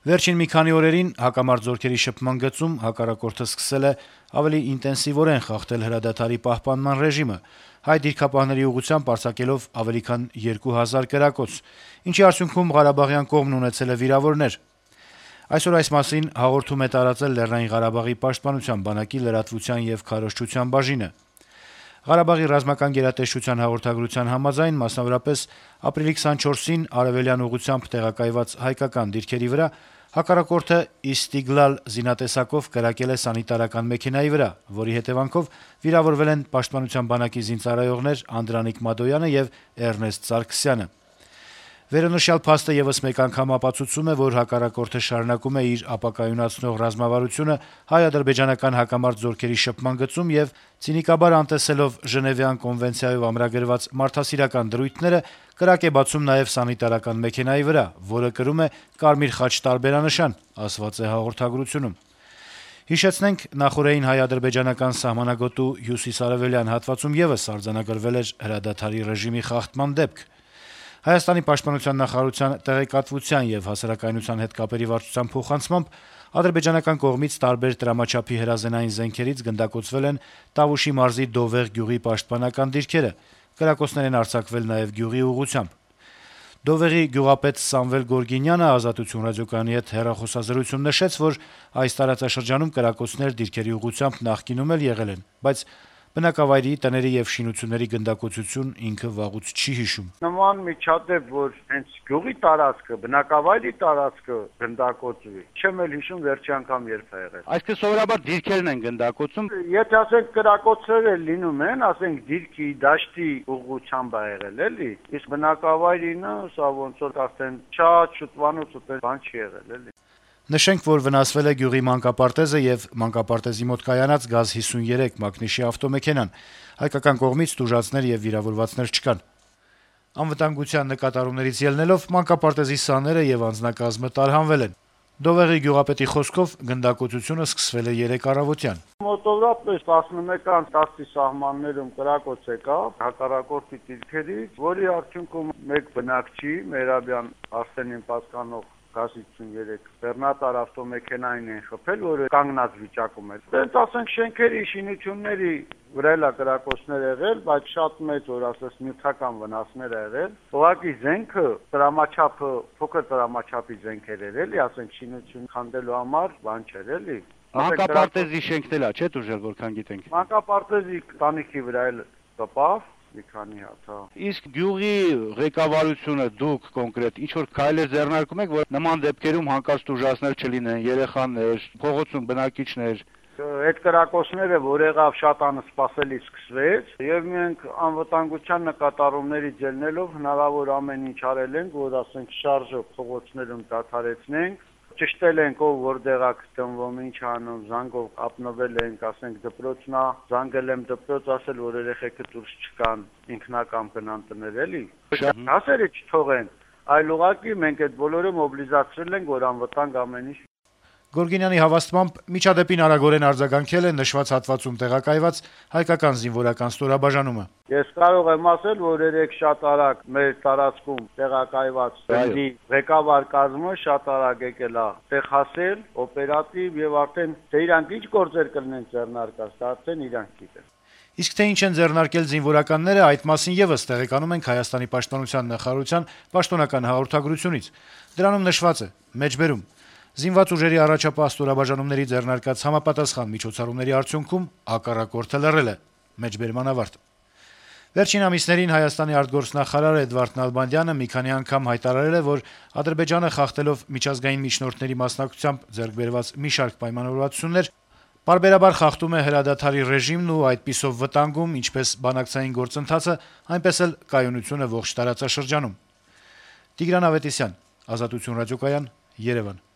Վերջին մի քանի օրերին հակամարտ զորքերի շփման գծում հակառակորդը սկսել է ավելի ինտենսիվորեն խախտել հրադադարի պահպանման ռեժիմը, հայ դիրքապահների ուղղությամբ արձակելով ավելի քան 2000 կրակոց, ինչի արդյունքում Ղարաբաղյան կողմն ունեցել է վիրավորներ։ Այսօր այս մասին հաղորդում է տարածել Լեռնային Ղարաբաղի պաշտպանության բանակի լրատվության եւ քարոզչության բաժինը։ Ղարաբաղի ռազմական գերատեսչության հաղորդագրության համաձայն, մասնավորապես ապրիլի 24-ին արևելյան ուղղությամբ տեղակայված հայկական դիրքերի վրա հակառակորդը Իստիգլալ զինատեսակով կրակել է սանիտարական մեքենայի վրա, որի հետեւանքով վիրավորվել են պաշտպանության բանակի զինծառայողներ Անդրանիկ Մադոյանը եւ Էրնեստ Սարգսյանը։ Վերոնշյալ փաստը եւս մեկ անգամ ապացուցում է, որ հակառակորդը շարունակում է իր ապակայունացնող ռազմավարությունը հայ-ադրբեջանական հակամարտ զորքերի շփման գծում եւ ցինիկաբար անտեսելով Ժնևյան կոնվենցիայով ամրագրված մարդասիրական դրույթները կրակ է բացում նաեւ սանիտարական մեքենայի վրա, որը կրում է կարմիր խաչ տարբերանշան, ասված է հաղորդագրությունում։ Հիշեցնենք, նախորդին հայ-ադրբեջանական սահմանագոտու հյուսիսարևելյան հատվածում եւս արձանագրվել էր հրադադարի ռեժիմի խախտման դեպք։ Հայաստանի պաշտպանության նախարարության տեղեկատվության եւ հասարակայնության հետ կապերի վարչության փոխանցմամբ ադրբեջանական կողմից տարբեր տրամաչափի հրազենային զենքերից գնդակոծվել են Տավուշի մարզի Դովեղ գյուղի պաշտպանական դիրքերը, կրակոցներ են արձակվել նաեւ գյուղի ուղղությամբ։ Դովեղի գյուղապետ Սամվել Գորգինյանը «Ազատություն» ռադիոկայանի հետ հեռախոսազրույցում նշեց, որ այս տարածաշրջանում կրակոցներ դիրքերի ուղղությամբ նախկինում էլ եղել են, բայց բնակավայրի, տների եւ շինությունների գնդակոծություն ինքը վաղուց չի հիշում։ Նման միջադեպ, որ հենց գյուղի տարածքը, բնակավայրի տարածքը գնդակոծվի, չեմ էլ հիշում վերջի անգամ երբ է եղել։ Այսինքն սովորաբար դիրքերն են գնդակոծում։ Եթե ասենք կրակոցները լինում են, ասենք դիրքի, դաշտի ուղղությամբ է եղել, էլի, իսկ բնակավայրինը սա ոնց որ արդեն շատ շուտվանոց ուտել բան չի եղել, էլի։ Նշենք, որ վնասվել է գյուղի մանկապարտեզը եւ մանկապարտեզի մոտ կայանած ԳԱԶ-53 մակնիշի ավտոմեքենան։ Հայկական կողմից տուժածներ եւ վիրավորվածներ չկան։ Անվտանգության նկատառումներից ելնելով մանկապարտեզի սաները եւ անձնակազմը տարհանվել են։ Դովեղի գյուղապետի խոսքով գնդակոծությունը սկսվել է 3 առավոտյան։ Մոտավորապես 11:10-ի սահմաններում կրակոց եկավ հակառակորդի դիրքերից, որի արդյունքում մեկ բնակչի Մերաբյան Արսենին պատկանող ԳԱԶ-53 բեռնատար ավտոմեքենային են խփել, որը կանգնած վիճակում էր։ Դենց ասենք շենքերի, շինությունների վրա էլ կրակոցներ եղել, բայց շատ մեծ, որ ասես նյութական վնասներ ա եղել։ Ուղղակի զենքը տրամաչափը փոքր տրամաչափի զենքեր էր, էլի, ասենք շինություն քանդելու համար բան չէր, էլի։ Մանկապարտեզի շենքն էլ է, չէ՞ դուժել, որքան գիտենք։ Մանկապարտեզի տանիքի վրա էլ կպավ մի քանի հատ, հա։ Իսկ գյուղի ղեկավարությունը դուք կոնկրետ ինչ որ քայլեր ձեռնարկում եք, որ նման դեպքերում հանկարծ տուժածներ չլինեն, երեխաներ, փողոցում բնակիչներ։ Այդ կրակոցները, որ եղավ, շատ անսպասելի սկսվեց, եւ մենք անվտանգության նկատառումներից ելնելով հնարավոր ամեն ինչ արել ենք, որ ասենք շարժը փողոցներում դադարեցնենք։ Ճշտել ենք ով որտեղ է գտնվում, ինչ անում, զանգով ապնվել ենք, ասենք դպրոցնա, զանգել եմ դպրոց, ասել որ երեխեքը դուրս չկան, ինքնակամ գնան տներ, էլի։ Հասերը չթողեն, այլ ուղղակի մենք այդ բոլորը մոբիլիզացրել ենք, որ անվտանգ ամեն ինչ։ Գորգինյանի հավաստմամբ միջադեպին արագորեն արձագանքել է նշված հատվածում տեղակայված հայկական զինվորական ստորաբաժանումը։ Ես կարող եմ ասել, որ երեք շատ արագ մեր տարածքում տեղակայված բնդի ղեկավար կազմը շատ արագ եկել է տեղ հասել, օպերատիվ եւ արդեն թե իրանք ինչ գործեր կլինեն ձեռնարկած, դա արդեն իրանք գիտեն։ Իսկ թե ինչ են ձեռնարկել զինվորականները, այդ մասին եւս տեղեկանում ենք Հայաստանի պաշտպանության նախարարության պաշտոնական հաղորդագրությունից։ Դրանում նշված է. մեջբերում Զինված ուժերի առաջապահ ստորաբաժանումների ձեռնարկած համապատասխան միջոցառումների արդյունքում հակառակորդը լռել է։ Մեջբերման ավարտ։ Վերջին ամիսներին Հայաստանի արտգործնախարար Էդվարդ Նալբանդյանը մի քանի անգամ հայտարարել է, որ Ադրբեջանը խախտելով միջազգային միջնորդների մասնակցությամբ ձեռք բերված մի շարք պայմանավորվածություններ պարբերաբար խախտում է հրադադարի ռեժիմն ու այդպիսով վտանգում ինչպես բանակցային գործընթացը, այնպես էլ կայունությունը ողջ տարածաշրջանում։ Տիգրան Ավետիսյան, Ազատություն ռադիոկայան, Երևան։